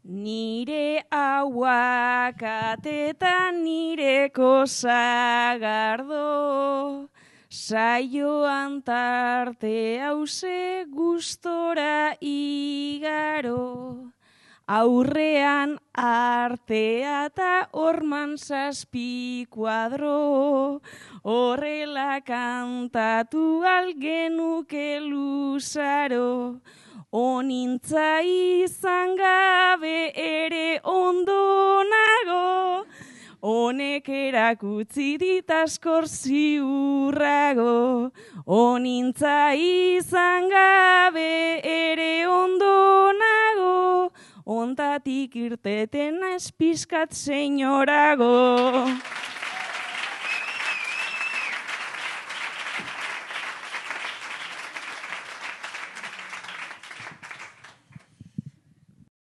Nire ahuakatetan nireko sagardo, saioan tarte hause gustora igaro. Aurrean artea eta horman zazpi kuadro, horrela kantatu algenuke luzaro. Onintza izan gabe ere ondo nago, honek erakutsi dit askor ziurrago. Onintza izan gabe ere ondo nago, ontatik irteten naiz pizkat senyorago.